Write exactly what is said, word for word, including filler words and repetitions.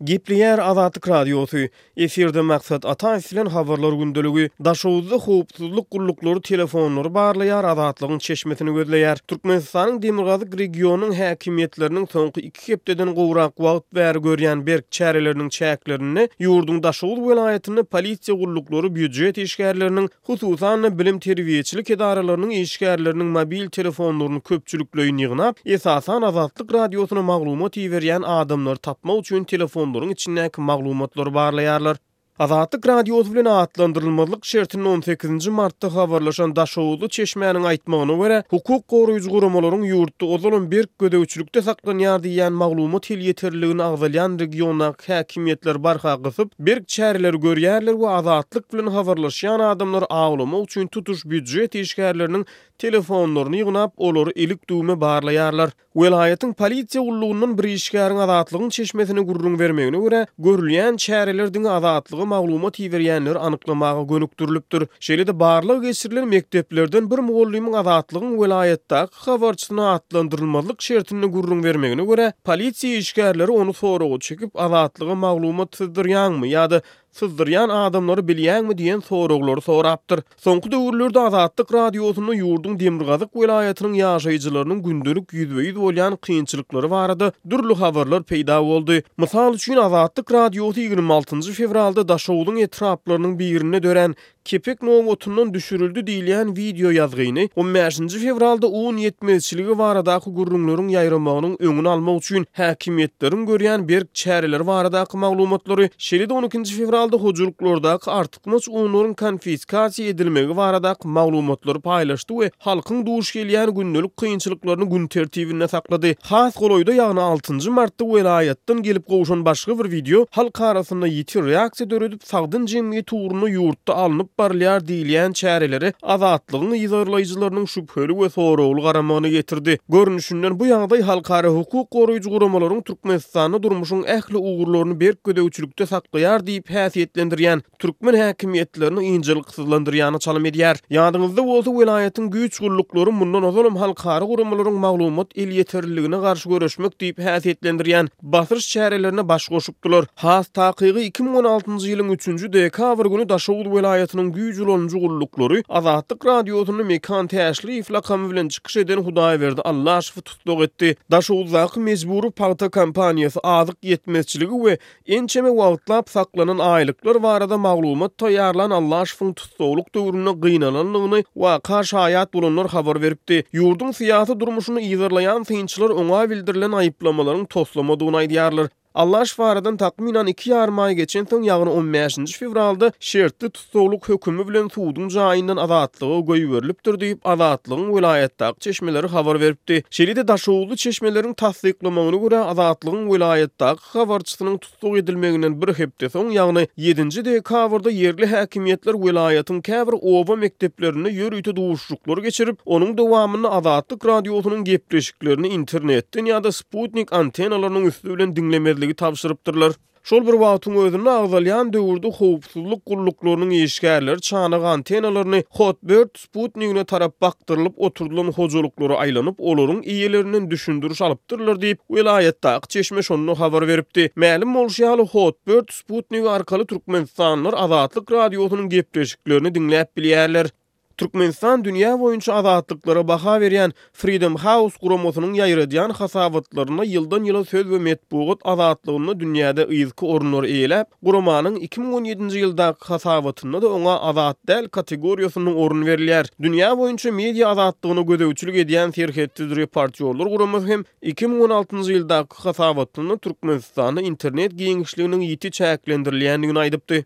Gepleýär Azatlyk Radiosy, efirde Maksat Ataýew bilen Habarlar gündeligi. Daşoguzda howpsuzlyk gulluklary telefonlary barlaýar, Azatlygyň çeşmesini gözleýär. Türkmenistanyň demirgazyk regionynyň häkimiýetleriniň soňky iki hepdeden gowrak wagt bäri görýän berk çäreleriniň çäklerinde ýurduň Daşoguz welaýatynda polisiýa gulluklary býujet işgärleriniň, hususan-da bilim-terbiýeçilik edaralarynyň işgärleriniň mobil telefonlaryny köpçülikleýin ýygnap, esasan Azatlyk Radiosyna maglumat iberýän adamlary tapmak üçin telefonlaryň içindäki maglumatlary barlaýarlar. Azatlyk Radiosy bilen atlandyrylmazlyk şertinde on sekizinji martda habarlaşan Daşoguzly çeşmäniň aýtmagyna görä, hukuk goraýjy guramalaryň ýurtda ozalam berk gözegçilikde saklanýar diýýän maglumat elýeterliligini agzalýan regiondaky häkimiýetler barha gysyp, berk çäreleri görýärler we Azatlyk bilen habarlaşýan adamlary awlamak üçin tutuş býujet işgärleriniň telefonlaryny ýygnap, olary ilik-düwme barlaýarlar. Welaýatyň polisiýa gullugyndan bir işgäriň Azatlygyň çeşmesine gürrüň bermegine görä, görülýän çäreler diňe Azatlyga maglumat iberýänleri anyklamaga gönükdirilipdir. Şeýle-de barlag geçirilen mekdeplerden bir mugallymyň Azatlygyň welaýatdaky habarçysyna atlandyrylmazlyk şertinde gürrüň bermegine görä, polisiýa işgärleri ony soraga çekip, Azatlyga maglumat syzdyrýaňmy ýa-da syzdyrýan adamlary bilýäňmi diýen soraglary sorapdyr. Soňky döwürlerde Azatlyk Radiosynda ýurduň demirgazyk welaýatynyň ýaşaýjylarynyň gündelik ýüzbe-ýüz bolýan kynçylyklary barada dürli habarlar peýda boldy. Mysal üçin, Azatlyk Radiosy ýigrimi altynjy fewralda Daşogzuň etraplarynyň birinde dörän kepek nobatyndan düşürildi diýilýän wideo ýazgyny on bäşinji fewralda un ýetmezçiligi baradaky gürrüňleriň ýaýramagynyň öňüni almak üçin häkimiýetleriň görýän berk çäreleri baradaky maglumatlary, şeýle-de on ikinji fewralda hojalyklardaky artykmaç unlaryň konfiskasiýa edilmegi baradaky maglumatlary paýlaşdy we halkyň duş gelýän gündelik kynçylyklaryny gün tertibinde saklady. Has golaýda, ýagny altynjy martda welaýatdan gelip gowşan başga bir wideo halk arasynda ýiti reaksiýa döredip, sagdyn jemgyýet ugrunda ýurtda alnyp barylýar diýilýän çärelere Azatlygyň yzarlaýjylarynyň şübheli we soragly garamagyny getirdi. Görnüşinden bu ýagdaý halkara hukuk goraýjy guramalaryň Türkmenistanda durmuşyň ähli ugurlaryny berk gözegçilikde saklaýar diýip häsiýetlendirýän türkmen häkimiýetlerini ynjalyksyzlandyrýany çalym edýär. Ýadyňyzda bolsa, welaýatyň güýç gulluklary mundan ozalam halkara guramalaryň maglumat elýeterliligine garşy göreşmek diýip häsiýetlendirýän basyş çärelerine baş goşupdylar. Has takygy iki müň on altynjy ýylyň üçünji dekabr güni Daşoguz welaýatynyň güýç ulanyjy gulluklary Azatlyk Radiosynda Mekan Täşliýew lakamy bilen çykyş eden Hudaýberdi Allaşowy tussag etdi. Daşoguzdaky mejbury pagta kompaniýasy azyk ýetmezçiligi we ençeme wagtlap saklanan aýlyklar barada maglumat taýýarlan Allaşowyň tussaglyk döwründe gynalandygyny waka şaýat bolanlar habar beripdi. Ýurduň syýasy durmuşyny yzarlaýan synçylar oňa bildirilen aýyplamalaryň toslamadygyny aýdýarlar. Allaşow aradan takmynan iki ýarym aý geçensoň, ýagny on bäşinji fewralda şertli tussaglyk hökümi bilen suduň jaýyndan Azatlyga goýberilipdir diýip, Azatlygyň welaýatdaky çeşmeleri habar beripdi. Şeýle-de Daşoguzly çeşmeleriň tassyklamagyna görä, Azatlygyň welaýatdaky habarçysynyň tussag edilmeginden bir hepde soň, ýagny ýedinji dekabrda ýerli häkimiýetler welaýatyň käbir oba mekdeplerinde ýörite duşuşyklar geçirip, onuň dowamynda Azatlyk Radiosynyň gepleşiklerini internetden ýa-da sputnik antenalarynyň üsti bilen diňlemezligi tabşyrypdyrlar. Şol bir wagtyň özünde agzalýan döwürde howpsuzlyk gulluklarynyň işgärleri çanak antenalaryny Hotbird sputnigine tarap bakdyrylyp oturdylan hojalyklara aýlanyp, olaryň eýelerinden düşündiriş alypdyrlar diýip, welaýatdaky çeşme şonda habar beripdi. Mälim bolşy ýaly, Hotbird sputnigi arkaly türkmenistanlylar Azatlyk Radiosynyň gepleşiklerini diňläp bilýärler. Türkmenistan dünýä boýunça azatlyklara baha berýän Freedom House guramasynyň ýaýradýan hasabatlarynda ýyldan-ýyla söz we metbugat azatlygynda dünýäde yzky orunlary eýeläp, guramanyň iki müň on ýedinji ýyldaky hasabatynda-da oňa azat däl kategoriýasynda orun berilýär. Dünýä boýunça media azatlygyna gözegçilik edýän Serhetsiz reportýorlar guramasy hem iki müň on altynjy ýyldaky hasabatynda Türkmenistanda internet giňişliginiň ýiti çäklendirilýändigini aýdypdy.